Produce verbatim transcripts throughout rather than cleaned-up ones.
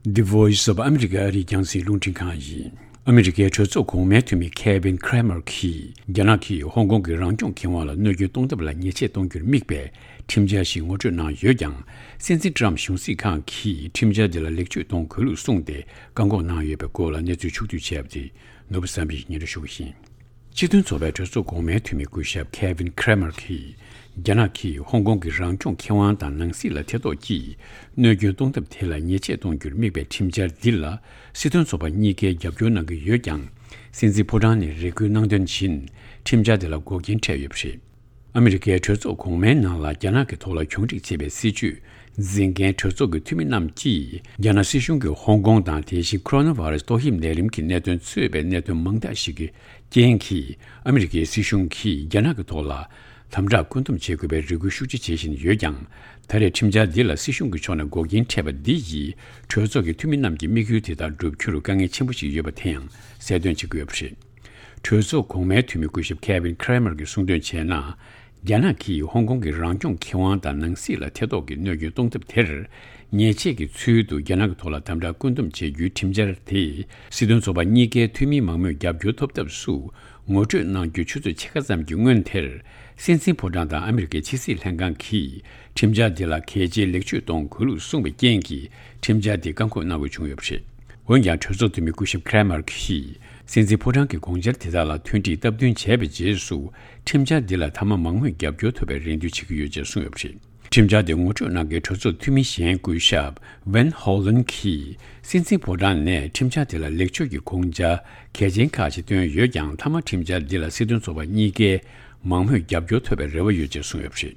The Voice of America ཨ་རིའི་རྒྱང་སྲིང་རླུང་འཕྲིན་ཁང་ཡིན། ཨ་མི་རི་ཀའི་གྲོས་ཚོགས་གོང་མའི་འཐུས་མི་Kevin Cramer གྱིས། རྒྱ་ནག་གིས་ཧོང་ཀོང་གི་རང་སྐྱོང་ཁེ་དབང་ལ་གནོད་སྐྱོན་གཏོང་ཐབས་ལ་ཉེས་ཆད་གཏོང་རྒྱུར་དམིགས་པའི་ཁྲིམས་འཆར་ཞིག་ངོ་སྤྲོད་གནང་ཡོད་ཀྱང་། སྲིད་འཛིན་ཊྲམ་གཞུང་སྲིད་ཁང་གིས་ཁྲིམས་འཆར་དེ་ལ་ལེགས་བཅོས་གཏོང་དགོས་ལུགས་གསུངས་ཏེ། བཀག་འགོག་གནང་ཡོད་པའི་སྐོར་ལ་གནས་ཚུལ་ཕྱོགས་བསྡུས་བྱས་པ་དེ་ནོར་བུ་བསམ་འཕེལ་གྱིས་སྙན་སྒྲོན་ཞུ་གི་ཡིན། སྤྱི་མཐུན་ཚོགས་པའི་གྲོས་ཚོགས་གོང་མའི་འཐུས་མི་སྐུ་ཞབས་Kevin Cramer གྱིས། རྒྱ་ནག་གིས་ཧོང་ཀོང་གི་རང་སྐྱོང་ཁེ་དབང་དང་ནང་སྲིད་ལ་ཐེ་གཏོགས་ཀྱིས། གནོད་སྐྱོན་གཏོང་ཐབས་དེ་ལ་ཉེས་ཆད་གཏོང་རྒྱུར་དམིགས་པའི་ཁྲིམས་འཆར་འདི་ལ། སྲིད་དོན་ཚོགས་པ་གཉིས་ཀས་རྒྱབ་སྐྱོར་གནང་གི་ཡོད་ཀྱང་། སྲིད་འཛིན་ཕོ་བྲང་ནས་རེ་སྐུལ་གནང་དོན་བཞིན། ཁྲིམས་འཆར་དེ་ལ་འགོག་རྐྱེན་འཕྲད་ཡོད་པ་རེད། ཨ་མི་རི་ཀའི་གྲོས་ཚོགས་གོང་མའི་ནང་ལ་རྒྱ་ནག་གི་ཐོག་ལ་གྱོང་རིག་བྱེད་པའི་སྲིད་ཇུས་འཛིན་མཁན་གྲོས་ཚོགས་ཀྱི་འཐུས་མི་རྣམས་ཀྱིས། རྒྱ་ནག་སྲིད་གཞུང་གིས་ཧོང་ཀོང་དང་། དེ་བཞིན་ཁོ་རོ་ན་བྷ་ར་སི་ཏོག་དབྱིབས་ནད་རིམས་ཀྱི་གནད་དོན་གཙོས་པའི་གནད་དོན་མང་དག་ཞིག་གི་རྐྱེན་གྱིས། ཨ་མི་རི་ཀའི་སྲིད་གཞུང་གིས་རྒྱ་ནག་གི་ཐོག་ལ་དམ་དྲག་བཀོད་འདོམས་བྱེད་དགོས་པའི་རེ་སྐུལ་ཤུགས་ཆེ་བྱེད་བཞིན་ཡོད་ཀྱང་། ད་རེས་ཁྲིམས་འཆར་འདི་ལ་སྲིད་གཞུང་གི་ཕྱོགས་ནས་འགོག་རྐྱེན་འཕྲད་པ་འདི་ཡིས། གྲོས་ཚོགས་ཀྱི་འཐུས་མི་རྣམས་ཀྱི་དམིགས་ཡུལ་དེ་དག་བསྒྲུབ་རྒྱུར་དཀའ་ངལ་ཆེན་པོ་ཞིག་ཡོད་པ་དེ་ཡང་གསལ་སྟོན་བྱེད་ཀྱི་ཡོད་པ་རེད། གྲོས་ཚོགས་གོང་མའི་འཐུས་མི་སྐུ་ཞབས་Kevin Cramer གྱིས་གསུངས་དོན་བྱས་ན། རྒྱ་ནག་གིས་ཧོང་ཀོང་གི་རང་སྐྱོང་ཁེ་དབང་དང་ནང་སྲིད་ལ་ཐེ་གཏོགས་ཀྱི་གནོད་སྐྱོན་གཏོང་ཐབས་དེར། ཉེས་ཆད་ཀྱི་ཚུལ་དུ་རྒྱ་ནག་གི་ཐོག་ལ་དམ་དྲག་བཀོད་འདོམས་བྱེད་རྒྱུའི་ཁྲིམས་འཆར་དེ། སྲིད་དོན་ཚོགས་པ་གཉིས་ཀའི་འཐུས་མིའི་མང་མོས་རྒྱབ་སྐྱོར་ཐོབ་ཐབས་སུ་ངོ་སྤྲོད་གནང་རྒྱུ་ཆུ་ཚོད་ཕྱེད་ཀ་ཙམ་གྱི་སྔོན་དེར། སྲིད་འཛིན་ཕོ་བྲང་དང་ཨ་མི་རི་ཀའི་ཕྱི་སྲིད་ལྷན་ཁང་གིས། ཁྲིམས་འཆར་འདི་ལ་གལ་ཆེའི་ལེགས་བཅོས་གཏོང་དགོས་ལུགས་གསུངས་པའི་རྐྱེན་གྱིས། ཁྲིམས་འཆར་འདི་བཀག་འགོག་གནང་དགོས་བྱུང་ཡོད་པ་རེད། འོན་ཀྱང་། གྲོས་ཚོགས་འཐུས་མི་སྐུ་ཞབས་Cramer གྱིས། སྲིད་འཛིན་ཕོ་བྲང་གི་དགོངས་འཆར་དེ་དག་ལ་མཐུན་སྒྲིལ་སྟབས་བསྟུན་བྱས་པའི་རྗེས་སུ། ཁྲིམས་འཆར་འདི་ལ་མཐའ་མ་མང་མོས་རྒྱབ་སྐྱོར་ཐོབ་པའི་རེ་འདུན་བྱེད་ཀྱི་ཡོད་ཅེས་གསུངས་ཡོད་པ་རེད། ཁྲིམས་འཆར་དེ་ངོ་སྤྲོད་གནང་མཁན་གྲོས་ཚོགས་འཐུས་མི་གཞན་སྐུ་ཞབས་Van Hollen གྱིས། སྲིད་འཛིན་ཕོ་བྲང་ནས་ཁྲིམས་འཆར་དེ་ལ་ལེགས་བཅོས་ཀྱི་དགོངས་འཆར་གལ་ཆེན་ཁག་ཅིག་བཏོན་ཡོད་ཀྱང་། མཐའ་མ་ཁྲིམས་འཆར་འདི་ལ་སྲིད་དོན་ཚོགས་པ་གཉིས་ཀའི་མང་མོས་རྒྱབ་སྐྱོར་ཐོབ་པའི་རེ་བ་ཡོད་ཅེས་གསུངས་ཡོད་པ་རེད།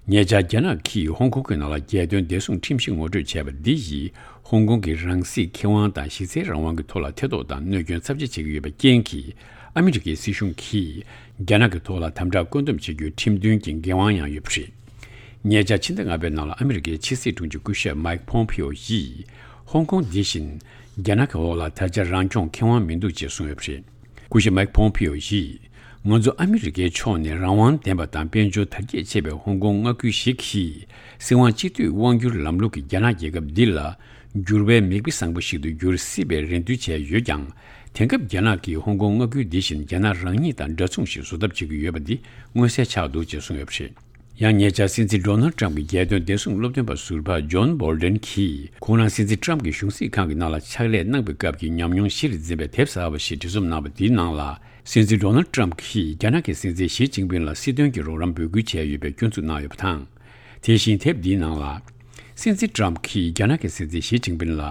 ཉེ་ཆར་རྒྱ་ནག་གིས་ཧོང་ཀོང་གི་ནང་ལ་རྒྱལ་དོན་བདེ་སྲུང་ཁྲིམས་གཞི་ངོ་སྤྲོད་བྱས་པ་འདི་ཡིས། ཧོང་ཀོང་གི་རང་སྲིད་ཁེ་དབང་དང་གཞི་རྩའི་རང་དབང་གི་ཐོག་ལ་ཐེ་གཏོགས་དང་གནོད་སྐྱོན་ཚབས་ཆེ་བྱེད་ཀྱི་ཡོད་པའི་རྐྱེན་གྱིས། ཨ་མི་རི་ཀའི་སྲིད་གཞུང་གིས་རྒྱ་ནག་གི་ཐོག་ལ་དམ་དྲག་བཀོད་འདོམས་བྱེད་རྒྱུའི་ཁྲིམས་མཐུན་གྱི་འགན་དབང་ཡང་ཡོད་པ་རེད། ཉེ་ཆར་ཕྱི་ཟླ་ལྔ་པའི་ནང་ལ་ཨ་མི་རི་ཀའི་ཕྱི་སྲིད་དྲུང་ཆེ་སྐུ་ཞབས་Mike Pompeo ཡིས། ཧོང་ཀོང་འདི་བཞིན་རྒྱ་ནག་གི་འོག་ལ་ད་ཆ་རང་སྐྱོང་ཁེ་དབང་མི་འདུག་ཅེས་གསུངས་ཡོད་པ་རེད། སྐུ་ཞབས་Mike Pompeo ཡིས། ང་ཚོ་ཨ་མི་རི་ཀའི་ཕྱོགས་ནས་རང་དབང་ལྡན་པ་དང་དཔལ་འབྱོར་དར་རྒྱས་ཆེ་བའི་ཧོང་ཀོང་མངའ་ཁུལ་ཞིག་གིས། སྲིད་དབང་སྤྱི་འཐུས་དབང་སྒྱུར་ལམ་ལུགས་ཀྱི་རྒྱ་ནག་རྒྱལ་ཁབ་འདི་ལ། འགྱུར་བའི་མིག་དཔེ་བཟང་པོ་ཞིག་ཏུ་འགྱུར་སྲིད་པའི་རེ་འདུན་བྱས་ཡོད་ཀྱང་། དེང་སྐབས་རྒྱ་ནག་གིས་ཧོང་ཀོང་མངའ་ཁུལ་འདི་བཞིན་རྒྱ་ནག་རང་ཉིད་དང་འདྲ་མཚུངས་ཤིག་བཟོ་ཐབས་བྱེད་ཀྱི་ཡོད་པ་འདི་མངོན་གསལ་ཆགས་འདུག་ཅེས་གསུངས་ཡོད་པ་རེད། ཡང་ཉེ་ཆར་སྲིད་འཛིན་Donald Trump གྱི་རྒྱལ་དོན་བདེ་སྲུང་སློབ་སྟོན་པ་ཟུར་པ་John Bolton གྱིས། ཁོང་རང་སྲིད་འཛིན་Trump གྱི་གཞུང་སྲིད་ཁང་གི་ནང་ལ་ཕྱག་ལས་གནང་བའི་སྐབས་ཀྱི་ཉམས་མྱོང་གཞིར་འཛིན་པའི་དེབ་གསར་པ་ཞིག་འབྲི་རྩོམ་གནང་བ་དེའི་ནང་ལ། སྲིད་འཛིན་Donald Trump གྱིས་རྒྱ་ནག་གི་སྲིད་འཛིན་ཞི་ཅིན་ཕིན་ལ་སྲིད་དོན་གྱི་རོགས་རམ་འབོད་སྐུལ་བྱས་ཡོད་པའི་སྐྱོན་འཛུགས་གནང་ཡོད་པ་དང་། དེ་བཞིན་དེབ་འདིའི་ནང་ལ། སྲིད་འཛིན་Trump གྱིས་རྒྱ་ནག་གི་སྲིད་འཛིན་ཞི་ཅིན་ཕིན་ལ།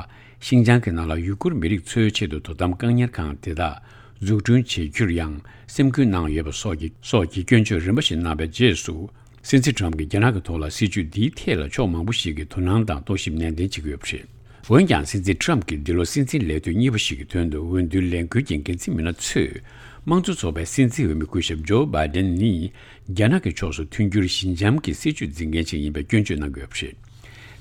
ཤིན་ཅང་གི་ནང་ལ་ཡུ་གུར་མི་རིགས་ཚོའི་ཆེད་དུ་དོ་དམ་བཀག་ཉར་ཁང་དེ་དག་འཛུགས་སྐྲུན་བྱེད་རྒྱུར་ཡང་སེམས་ཁུར་གནང་ཡོད་པ་སོགས་ཀྱི་སོགས་ཀྱི་སྐྱོན་བརྗོད་རིམ་པ་ཞིག་གནང་བའི་རྗེས་སུ། སྲིད་འཛིན་Trump གྱིས་རྒྱ་ནག་གི་ཐོག་ལ་སྲིད་བྱུས་འདིའི་ཐད་ལ་ཕྱོགས་མང་པོ་ཞིག་གིས་དོ་སྣང་དང་རྟོག་ཞིབ་ནན་ཏན་བྱེད་ཀྱི་ཡོད་པ་རེད། འོན་ཀྱང་། སྲིད་འཛིན་Trump གྱིས་འདི་ལོ་སྲིད་འཛིན་ལས་དོན་གཉིས་པ་ཞིག་གི་དོན་དུ་འོས་བསྡུའི་ལས་འགུལ་གྱི་འགན་འཛིན་མི་སྣ་ཚོས། དམངས་གཙོ་ཚོགས་པའི་སྲིད་འཛིན་འོས་མི་སྐུ་ཞབས་Joe Biden ནི། རྒྱ་ནག་གི་ཕྱོགས་སུ་མཐུན་འགྱུར་ཞི་འཇམ་གྱི་སྲིད་བྱུས་འཛིན་མཁན་ཞིག་ཡིན་པའི་སྐྱོན་བརྗོད་གནང་གི་ཡོད་པ་རེད།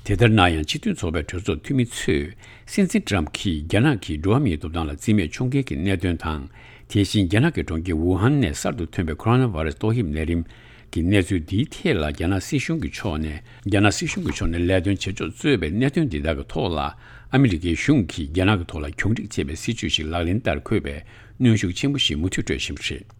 དེ་ལྟར་ན་ཡང་། སྤྱི་མཐུན་ཚོགས་པའི་གྲོས་ཚོགས་འཐུས་མི་ཚོས། སྲིད་འཛིན་Trump གྱིས་རྒྱ་ནག་གིས་འགྲོ་བ་མིའི་ཐོབ་ཐང་ལ་བརྩི་མེད་འཁྱོངས་མཁན་གྱི་གནད་དོན་དང་། དེ་བཞིན་རྒྱ་ནག་གི་གྲོང་ཁྱེར་ཝུ་ཧན་ནས་གསར་དུ་ཐོན་པའི་ཁོ་རོ་ན་བྷ་ར་སི་ཏོག་དབྱིབས་ནད་རིམས་ཀྱི་གནས་ཚུལ་འདིའི་ཐད་ལ། རྒྱ་ནག་སྲིད་གཞུང་གི་ཕྱོགས་ནས། རྒྱ་ནག་སྲིད་གཞུང་གི་ཕྱོགས་ནས་ལས་དོན་བྱེད་ཕྱོགས་གཙོས་པའི་གནད་དོན་འདི་དག་གི་ཐོག་ལ། ཨ་མི་རི་ཀའི་གཞུང་གིས་རྒྱ་ནག་གི་ཐོག་ལ་གྱོང་རིག་བྱེད་པའི་སྲིད་བྱུས་ཤིག་ལག་ལེན་བསྟར་དགོས་པའི་གནོན་ཤུགས་ཆེན་པོ་ཞིག་མུ་མཐུད་སྤྲོད་བཞིན་པ་རེད།